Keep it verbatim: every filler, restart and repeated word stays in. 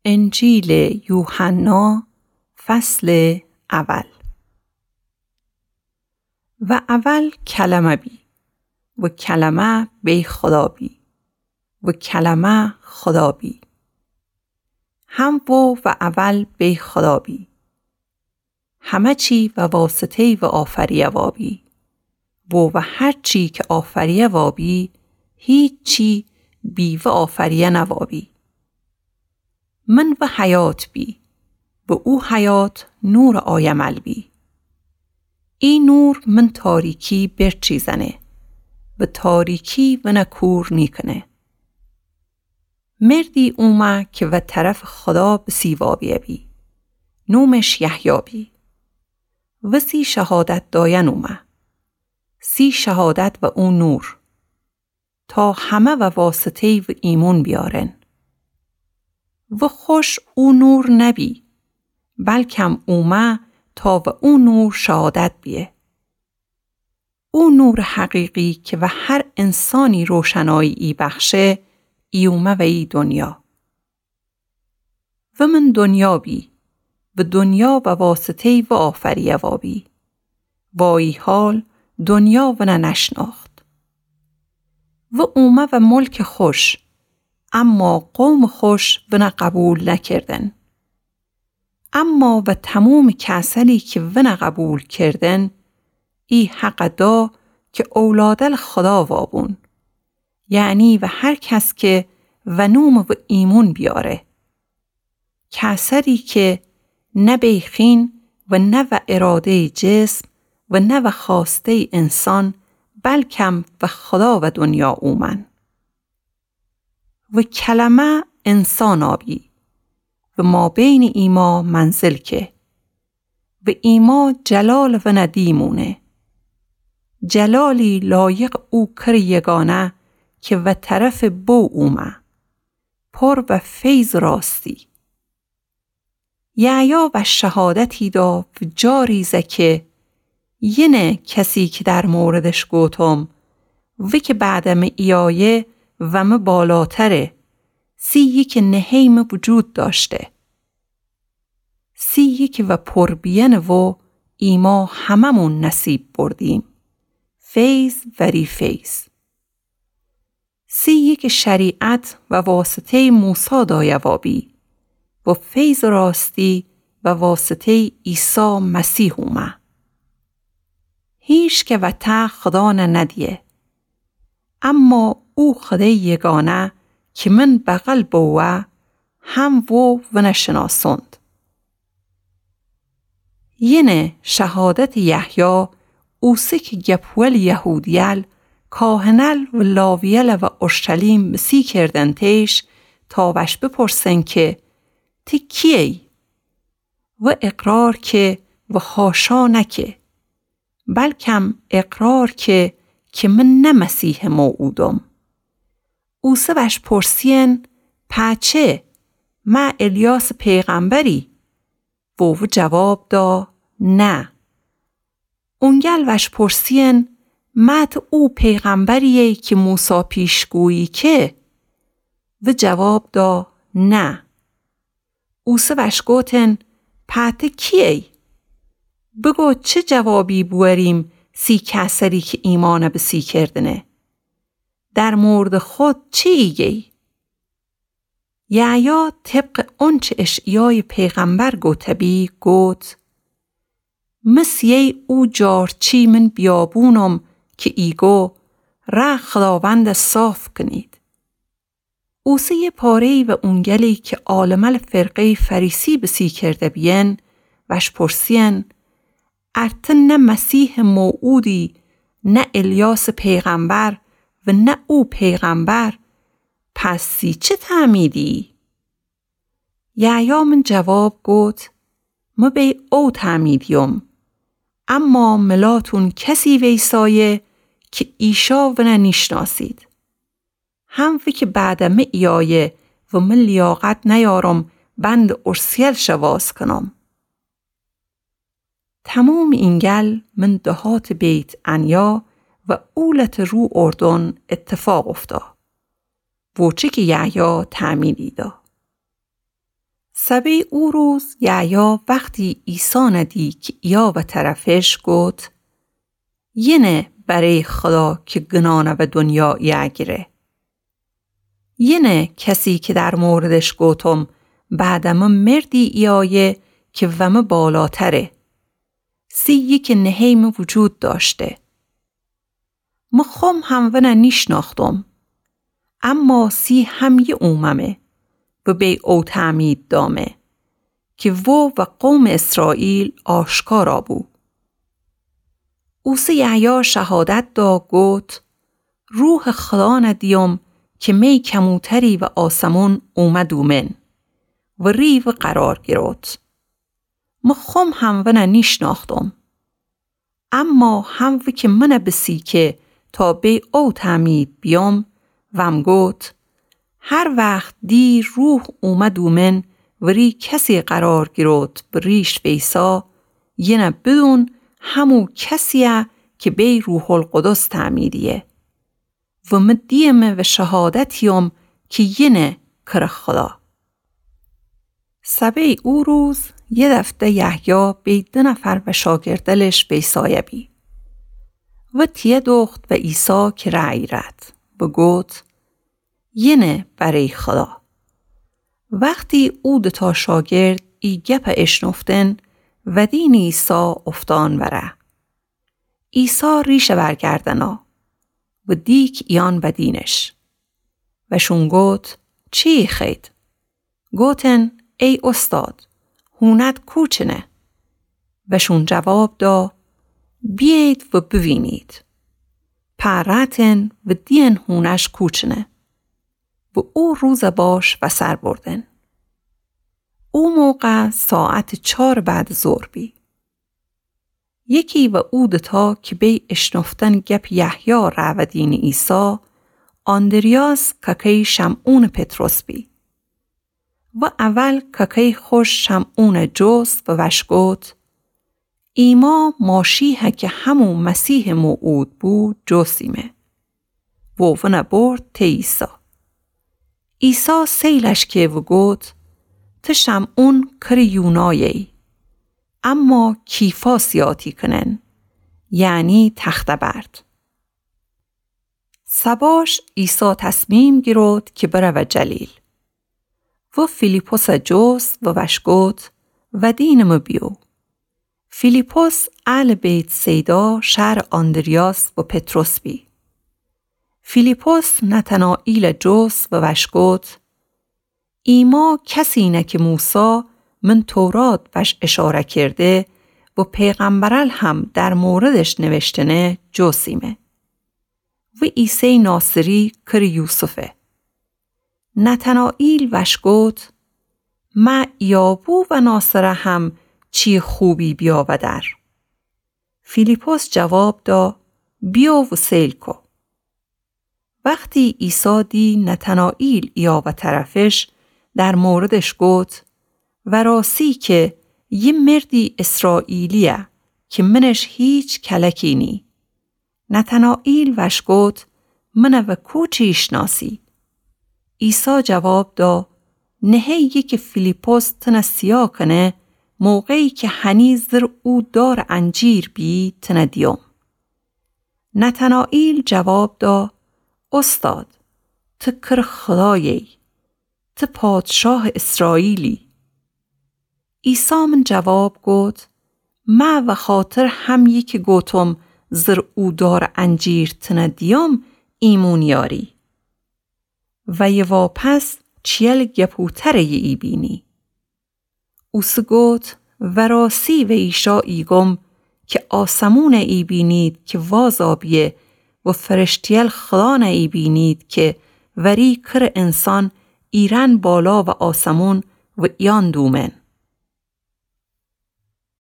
انجیلٚ یوحنا، فصلٚ اول. و اول کلمه بی، و کلمه بی خودا بی، و کلمه خودا بی. هم و و اول بی خودا بی. همه چی و واسطه‌ی و آفریه وابی. و و هر چی که آفریه وابی، هیچی بی و آفریه نوابی. من و حیات بی، و او حیات نورٚ آیمل بی. ای نور من تاریکی برچیزنه، و تاریکی ون کور نیکنه. مردی اومه که و طرفٚ خودا بسی وابیه بی. نومش یحیی بی. و سی شهادت داین اومه. سی شهادت و او نور. تا همه و واسطه‌ی و ایمون بیارن. و خوش او نور نبی، بلکم اومه تا و او نور شهادت بیه. او نورٚ حقیقی که و هر انسانی روشنایی ای بخشه، ای اومه و ای دنیا. و من دنیا بی، و دنیا و واسطه‌ی و آفریه وابی. و ای حال دنیا ون نشناخت. و اومه و ملکٚ خوش، اما قومٚ خوش ون قبول نکردن. اما و تمومٚ کسأنی که ون قبول کردن، ای حق دا که اولادألٚ خودا وابون، یعنی و هر کس که و نومٚ و ایمون بیاره. کسأنی که نه بی خین و نه و اراده‌ی جسم و نه و خواسته‌ی انسان، بلکم و خودا و دنیا اومن. و کلمه انسان آبی و مابینٚ ایما منزل که و ایما جلالٚ ون دیمونه. جلالی لایقٚ او کرٚ یگانه که و طرفٚ بو اومه، پر و فیض و راستی. یحیی وأش شهادتی دا و جاری زه که، یینه کسی که در موردش گوتم، وی که بعدٚ مه ایایه و مه بالاتره، سیی که نهه‌ی مه وجود دأشته. سیی که و پر بیینٚ وو ایما همه‌مون نصیب بردیم، فیض وری فیض. سیی که شریعت و واسطه‌ی موسی دایه وابی و فیض و راستی و واسطه‌ی عیسی مسیح اومه. هیچ که وطه خودا نه ندیه. اما او خوده‌ی یگانه که من بغل بوه، هم وو ونه شناسوند. یینه شهادتٚ یحیی اوسه که گپ ول یهودیل، کاهنل و لاویل و اورشلیم بسی کردنتیش تا وش بپرسن که تی کییی؟ و اقرار که و حاشا نکه، بلکم اقرار که که من نه مسیحٚ موعودم. اوسه وش پرسیین، پچه، مه الیاسٚ پیغمبری؟ و وو جواب دا، نه. اونگل وش پرسیین، مه ته او پیغمبریی که موسی پیشگویی که؟ وو جواب دا، نه. اوسه وش گوتن، پته کییی؟ بگو چه جوابی بوأریم سی کسری که ایمأن بسی کردنه؟ در موردٚ خود چی ایگه‌یی؟ یحیی طبقٚ اونچه اشعیایٚ پیغمبر گوته‌بی گوت، مثل یه او جارچی من بیابونم که ایگو، رأ خوداوند صاف کنید. اوسه یه پاره‌یی و اونگلی که عالمل فرقه‌یٚ فریسی بسی کرده بیین، وش پرسیین، ار ته نه مسیحٚ موعودی، نه الیاسٚ پیغمبر و نه او پیغمبر، پس سی چه تعمیدیی؟ یحیی من جواب گوت، مه بی او تعمیدییم، اما ملاتون کسی ویسایه که ایشا ونه نیشناسید. هم وی که بعدٚ مه ایایه و مه لیاقت نیارم بندٚ اورسیل شه واز کنم. تمومٚ اینگل من دهاتٚ بیت‌عنیا و اولتٚ رو اردن اتفاق افتاد، وچه که یحیی تعمیدی دا. سبئ او روز یحیی وختی عیسی ندی کی ایه و طرفش گفت: یئنه برئ خدا کی گنانه و دونیا ایه گیره. یئنه کسی کی در موردش گفتم بعدٚ مه مردی ایایه کی و مه بالاتره. سی یکه نهئ مه وجود داشته. مه خوم هم ونه نیشناختم. اما سی همهیه اوممه و بی او تعمید دامه کی وو و قومٚ اسرائیل آشکارا بو. اوسه یحیی شهادت دا گفت: روحٚ خدا ندیم کی می کموتری و آسمون اومه دومن و ری و قرار گیروت. مه خوم هم ونه نیشناختم. اما هم وکی منه بسی کی تا بی او تعمید بیوم، وم گفت: هر وخت دی روح اومه دومن و ری کسی قرار گیروت به ریش ویسا، یئنه بدون همو کسیه کی بی روح‌القدس تعمید ایه. و مه دیمه و شهادت ایوم کی یئنه کرٚ خدا. سبئ او روز یه دفعه یحیی بی دو نفر و شاگردلش ویسایه بی. و تیه دوخت و عیسی کره ایرد و گفت: یئنه برئ خدا. وختی او دوتا شاگرد ای گپ اشنفتن، ودینٚ عیسی افتان وره. عیسی ریشه ورگردنا و دیک ایان ودینش. وشون گفت: چی خوأیید؟ گفتن: ای استاد، هونت کوچنه؟ وشون جواب دا: بیأیید و بوینید. پا رأتن و دیئن هونش کوچنه. و او روز باش وسر بردن. او موقع ساعتٚ چارٚ بعدٚ ظهر بی. یکی و او دوتا کی بی اشنفتن گپٚ یحیی رأودینٚ عیسی، آندریاس ککهٔ شمعونٚ پطرس بی. و اول ککهٔ خوش شمعون جست و وش گفت: ایما ماشییه کی همو مسیحٚ موعود بو جستیمه. و ونه برد ته عیسی. عیسی سیلش که و گفت: ته شمعون کرٚ یونایه‌یی، اما کیفا سیاتی کنن، یعنی تخته‌برد. سباش عیسی تصمیم گیروت کی برود جلیل. و فیلیپسه جست و وش گفت: ودینٚ مه بیو. فیلیپس اهلٚ بیت‌صیدا شهرٚ آندریاس و پطرس بی. فیلیپس نتنائیله جست و وش گفت: ایما کسی نه کی موسی من تورات وش اشاره کرده و پیغمبرل هم در موردش نوشتنه جستیمه. و عیسیٚ ناصری کرٚ یوسفه. نتنائیل وش گفت: مه ایابو و ناصره هم چی خوبی بیاودر؟ فیلیپس جواب دا: بیو و سیل کو. وختی عیسی دی نتنائیل ایابه طرفش، در موردش گفت: وراسی کی یه مردی اسرائیلیه کی منش هیچ کلکی نی. نتنائیل وش گفت: منه و کوچی ایشناسی؟ عیسی جواب دا: نهه‌یی کی فیلیپس تنه سیا کنه، موقعی کی هنی زیر او دارٚ انجیر بی تنه دیوم. نتنائیل جواب دا: استاد، ته کرٚ خدایه‌یی، ته پادشاهٚ اسرائیلی. عیسی من جواب گفت: مه وخاطر همه‌یی کی گفتم زیر او دارٚ انجیر تنه دیوم ایمون یاری. و یه واپس چیل گپوتره‌یی ایبینی. اوسه گفت: وراسی و ایشا ایگم کی آسمونه ایبینید کی وازا بیه و فرشته‌یل خدانه ایبینید کی وری کرٚ انسان ایرن بالا و آسمون و ایان دومن.